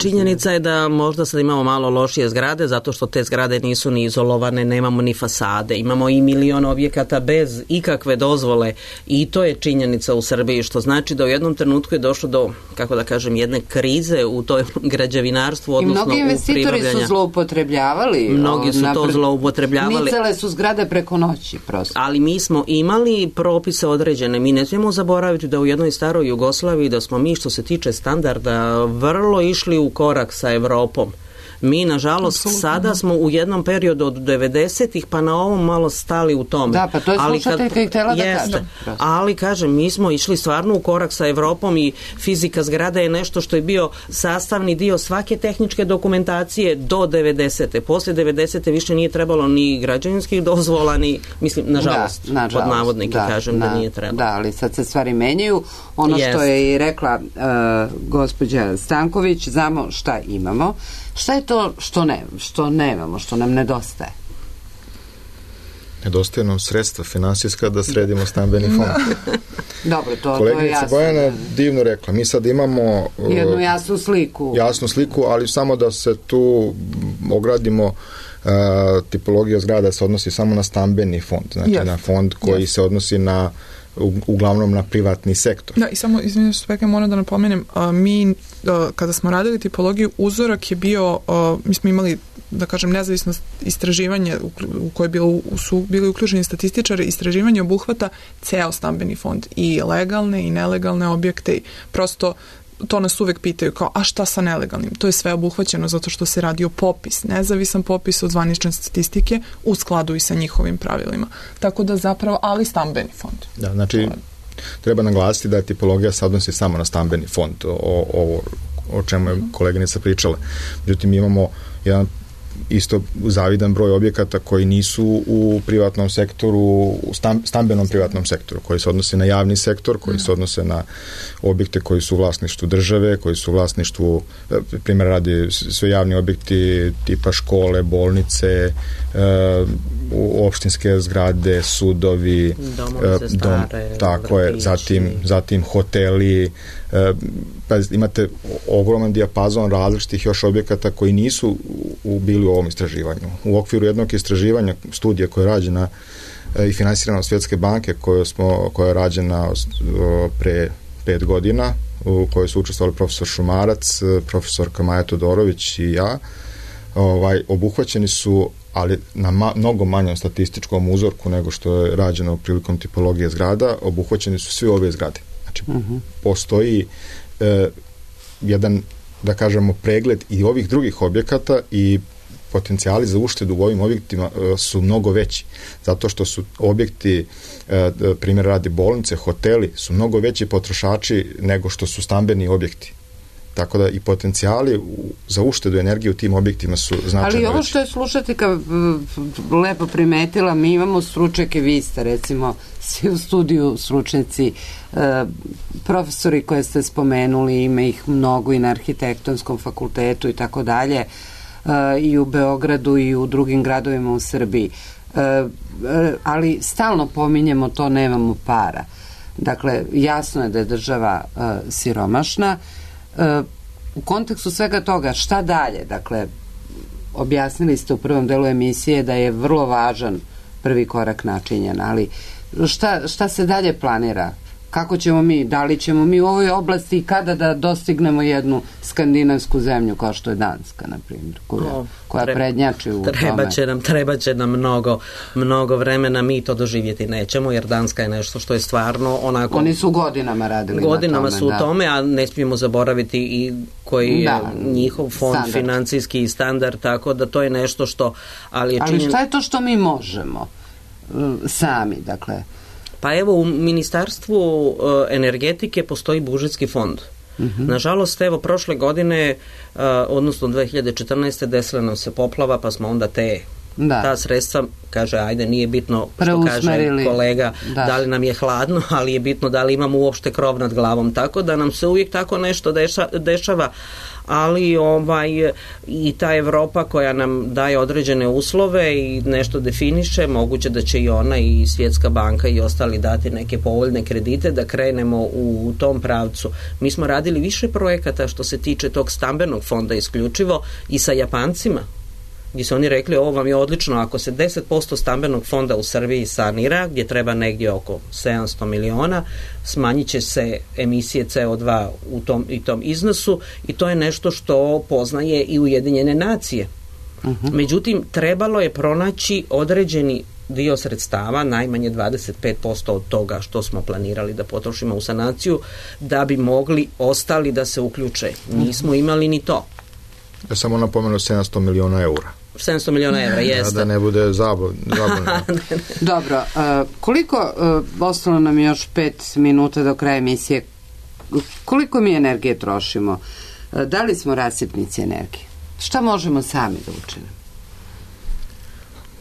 činjenica je da možda sad imamo malo lošije zgrade zato što te zgrade nisu ni izolovane, nemamo ni fasade, imamo i milion objekata bez ikakve dozvole i to je činjenica u Srbiji, što znači da u jednom trenutku je došlo do, kako da kažem, jedne krize u toj građevinarstvu, odnosno u pribavljanja. I mnogi investitori su zloupotrebljavali. Mnogi su to zloupotrebljavali. Nicale su zgrade preko noći prosto. Ali mi smo imali propise određene. Mi ne smijemo zaboraviti da u jednoj staroj Jugoslaviji da smo mi, što se tiče standarda, vrlo išli u korak sa Evropom. Mi, nažalost, Absolutno. sada smo u jednom periodu od devedesetih pa na ovom malo stali u tome. Da, pa to je slušateljka i htjela da jeste, kaže. ali kažem, mi smo išli stvarno u korak sa Evropom i fizika zgrada je nešto što je bio sastavni dio svake tehničke dokumentacije do devedesete. Poslije devedesete više nije trebalo ni građevinskih dozvola, ni, mislim, nažalost, da, nažalost pod navodnike da, kažem na, da nije trebalo. Da, ali sad se stvari menjaju. Ono Jest. što je i rekla uh, gospođa Stanković, znamo šta imamo. Šta je to što ne, što nemamo, što nam nedostaje? Nedostaje nam sredstva finansijska da sredimo stambeni fond. Dobro, to, to je Koleginica jasno. Bojana je divno rekla. Mi sad imamo uh, jednu jasnu sliku. Jasnu sliku, ali samo da se tu ogradimo, uh, tipologija zgrada se odnosi samo na stambeni fond, znači yes. na fond koji yes. se odnosi na U, uglavnom na privatni sektor. Da, i samo, izvinite što spekam, moram da napomenem, a, mi, a, kada smo radili tipologiju, uzorak je bio, a, mi smo imali, da kažem, nezavisno istraživanje u, u koje bilo, su bili uključeni statističari, istraživanje obuhvata ceo stambeni fond, i legalne i nelegalne objekte, i prosto to nas uvek pitaju kao, a šta sa nelegalnim? To je sve obuhvaćeno zato što se radi o popis, nezavisan popis od zvanične statistike u skladu i sa njihovim pravilima. Tako da zapravo, ali stambeni fond. Da, znači, treba naglasiti da je tipologija se odnosi samo na stambeni fond, o, o, o čemu je koleginica pričala. Međutim, mi imamo jedan isto zavidan broj objekata koji nisu u privatnom sektoru, u stambenom privatnom sektoru, koji se odnose na javni sektor, koji se odnose na objekte koji su u vlasništvu države, koji su u vlasništvu, primjer radi, sve javni objekti tipa škole, bolnice, opštinske zgrade, sudovi, dom, tako je, zatim, zatim hoteli, pa imate ogroman dijapazon različitih još objekata koji nisu u, bili u ovom istraživanju. U okviru jednog istraživanja, studija koja je rađena i finansirana od Svjetske banke, koja, smo, koja je rađena pre pet godina, u kojoj su učestvovali profesor Šumarac, profesorka Maja Todorović i ja, ovaj, obuhvaćeni su, ali na ma, mnogo manjem statističkom uzorku nego što je rađeno prilikom tipologije zgrada, obuhvaćeni su svi ove zgrade. Znači, uh-huh. postoji e, jedan, da kažemo, pregled i ovih drugih objekata i potencijali za uštedu u ovim objektima e, su mnogo veći. Zato što su objekti, e, primjer radi bolnice, hoteli, su mnogo veći potrošači nego što su stambeni objekti. Tako da i potencijali za uštedu energije u tim objektima su značajno veći. Ali ovo što je slušateljka lepo primetila, mi imamo stručnjake, vi ste recimo svi u studiju stručnjaci, e, profesori koje ste spomenuli, ima ih mnogo i na arhitektonskom fakultetu i tako dalje, e, i u Beogradu i u drugim gradovima u Srbiji. E, e, ali stalno pominjemo to, nemamo para. Dakle, jasno je da je država e, siromašna. Uh, u kontekstu svega toga, šta dalje? Dakle, objasnili ste u prvom delu emisije da je vrlo važan prvi korak načinjen, ali šta, šta se dalje planira? Kako ćemo mi, da li ćemo mi u ovoj oblasti i kada da dostignemo jednu skandinavsku zemlju kao što je Danska, na primjer, koja, no, koja treba, prednjači u treba tome? Će nam, treba će nam mnogo, mnogo vremena, mi to doživjeti nećemo, jer Danska je nešto što je stvarno onako... Oni su godinama radili godinama na tome. su da. u tome, a ne smijemo zaboraviti i koji da, je njihov fond standard. Financijski standard, tako da to je nešto što... Ali, je ali činjen... šta je to što mi možemo sami, dakle... Pa evo, u Ministarstvu uh, energetike postoji budžetski fond. Uh-huh. Nažalost, evo, prošle godine, uh, odnosno dve hiljade četrnaeste. desila nam se poplava, pa smo onda te da. ta sredstva, kaže, ajde, nije bitno što kaže kolega, da. da li nam je hladno, ali je bitno da li imamo uopšte krov nad glavom. Tako da nam se uvijek tako nešto deša, dešava, ali ovaj i ta Evropa koja nam daje određene uslove i nešto definiše, moguće da će i ona i Svjetska banka i ostali dati neke povoljne kredite da krenemo u, u tom pravcu. Mi smo radili više projekata što se tiče tog stambenog fonda isključivo i sa Japancima, gdje su oni rekli, ovo vam je odlično, ako se deset posto stambenog fonda u Srbiji sanira, gdje treba negdje oko sedamsto miliona, smanjit će se emisije C O dva u tom, i tom iznosu, i to je nešto što poznaje i Ujedinjene nacije. Uh-huh. Međutim, trebalo je pronaći određeni dio sredstava, najmanje dvadeset pet posto od toga što smo planirali da potrošimo u sanaciju, da bi mogli ostali da se uključe. Nismo imali ni to. Ja sam napomenuo sedamsto miliona eura. sedamsto miliona evra, jeste. Da, da ne bude zabavno. Dobro, uh, koliko, uh, ostalo nam još pet minuta do kraja emisije, koliko mi energije trošimo? Uh, da li smo rasipnici energije? Šta možemo sami da učinimo?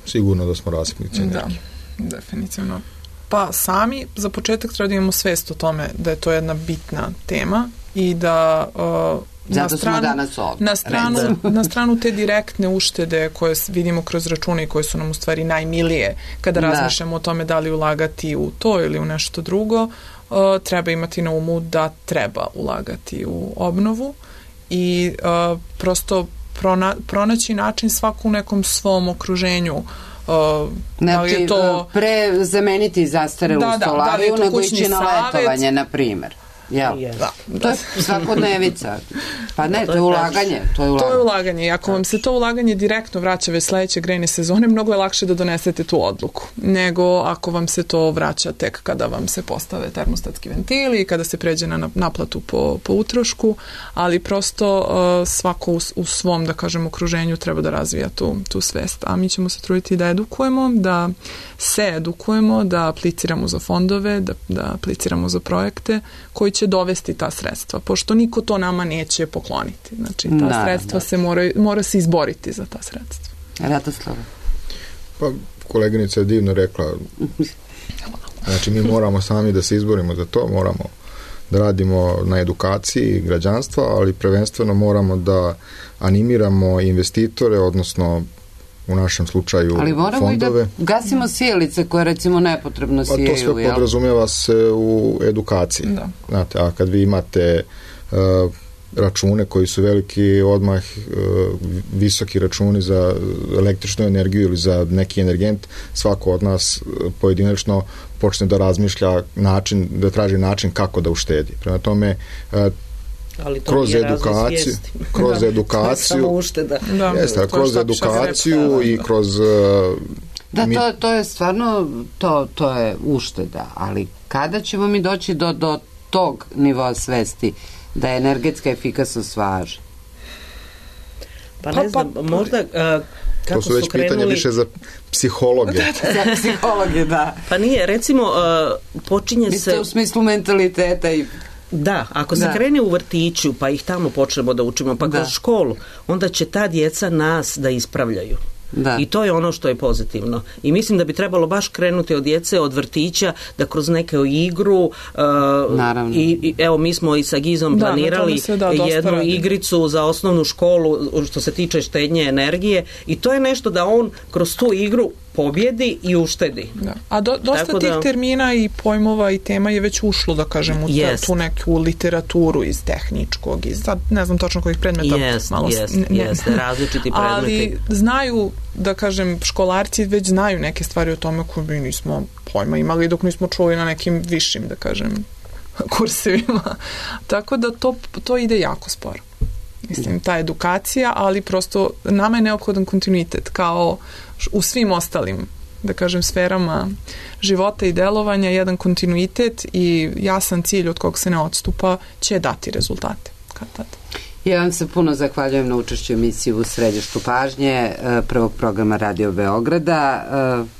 Sigurno da smo rasipnici energije. Da, definitivno. Pa sami, za početak treba da imamo svest o tome da je to jedna bitna tema i da uh, Zato na stranu, smo danas ovdje. Na stranu, na stranu te direktne uštede koje vidimo kroz račune i koje su nam u stvari najmilije kada da. razmišljamo o tome da li ulagati u to ili u nešto drugo, uh, treba imati na umu da treba ulagati u obnovu i uh, prosto prona, pronaći način svaku u nekom svom okruženju. Uh, znači, da li je to... pre zameniti zastarelu da, da, stolariju da nego ići na letovanje, na primjer. Ja. Da, da. To je svakodnevica. Pa ne, to je ulaganje. To je ulaganje. To je ulaganje. I ako vam se to ulaganje direktno vraća već sledeće grejne sezone, mnogo je lakše da donesete tu odluku, nego ako vam se to vraća tek kada vam se postave termostatski ventili i kada se pređe na naplatu po, po utrošku, ali prosto uh, svako u, u svom, da kažem, okruženju treba da razvija tu, tu svest. A mi ćemo se truditi da edukujemo, da se edukujemo, da apliciramo za fondove, da, da apliciramo za projekte koji će dovesti ta sredstva, pošto niko to nama neće pokloniti. Znači, ta da, sredstva da. se mora, mora se izboriti za ta sredstva. Ratoslava. Pa, koleginica je divno rekla, znači mi moramo sami da se izborimo za to, moramo da radimo na edukaciji građanstva, ali prvenstveno moramo da animiramo investitore, odnosno u našem slučaju ali moramo fondove. I da gasimo sijalice koje recimo nepotrebno sijaju. A to sve podrazumijeva se u edukaciji. Da. Znate, a kad vi imate uh, račune koji su veliki, odmah uh, visoki računi za električnu energiju ili za neki energent, svako od nas pojedinačno počne da razmišlja način, da traži način kako da uštedi. Prema tome, uh, ali to kroz edukaciju, kroz da, edukaciju, samo ušteda. Da, jeste, kroz edukaciju i kroz uh, da, mi... to, to je stvarno to, to je ušteda, ali kada ćemo mi doći do, do tog nivoa svesti da je energetska efikasnost važna? Pa ne znam, pa, pa, možda uh, kako to su već su krenuli... pitanja više za psihologe. Za psihologe, da. Pa nije, recimo uh, počinje Mislite se... u smislu mentaliteta i Da, ako se da. krene u vrtiću, pa ih tamo počnemo da učimo, pa da. kroz školu, onda će ta djeca nas da ispravljaju. Da. I to je ono što je pozitivno. I mislim da bi trebalo baš krenuti od djece, od vrtića, da kroz neke igru uh, i, i evo mi smo i sa Gizom da, planirali da, jednu radi. igricu za osnovnu školu što se tiče štednje energije i to je nešto da on kroz tu igru pobjedi i uštedi. Da. A do, dosta Tako tih da... termina i pojmova i tema je već ušlo, da kažem, u yes. tu neku literaturu iz tehničkog, iz, sad ne znam tačno kojih predmeta. Yes, malo, yes, ne, yes, različiti predmeti. Ali znaju, da kažem, školarci već znaju neke stvari o tome koje mi nismo pojma imali dok nismo čuli na nekim višim, da kažem, kursevima. Tako da to, to ide jako sporo. Mislim, ta edukacija, ali prosto nama je neophodan kontinuitet, kao u svim ostalim, da kažem, sferama života i delovanja, jedan kontinuitet i jasan cilj od kog se ne odstupa će dati rezultate. Kad tada. Ja vam se puno zahvaljujem na učešću emisiju u Središtu pažnje prvog programa Radio Beograda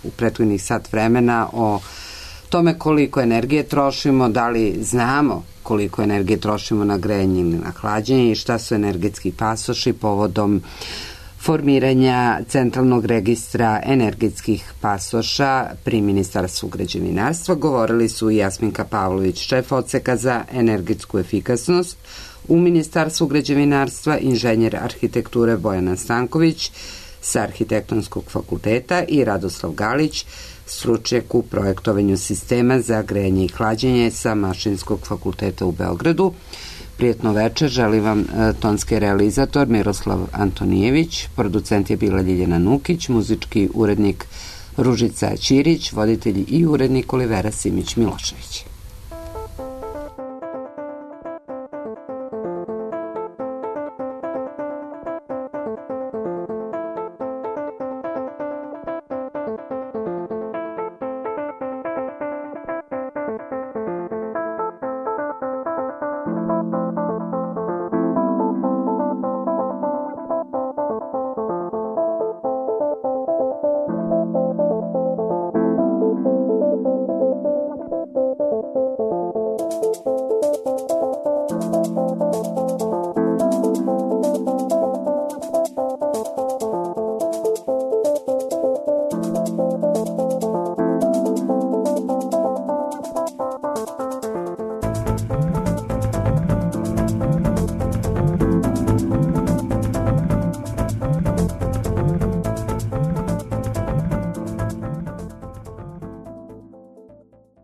u prethodnih sat vremena o tome koliko energije trošimo, da li znamo koliko energije trošimo na grejanje ili na hlađenje i šta su energetski pasoši povodom formiranja Centralnog registra energetskih pasoša pri Ministarstvu građevinarstva. Govorili su i Jasminka Pavlović, šef odseka za energetsku efikasnost u Ministarstvu građevinarstva, inženjer arhitekture Bojana Stanković sa Arhitektonskog fakulteta i Radoslav Galić, stručnjak u projektovanju sistema za grejanje i hlađenje sa Mašinskog fakulteta u Beogradu. Prijetno večer, želim vam tonski realizator Miroslav Antonijević, producent je bila Ljiljana Nukić, muzički urednik Ružica Ćirić, voditelj i urednik Olivera Simić Milošević.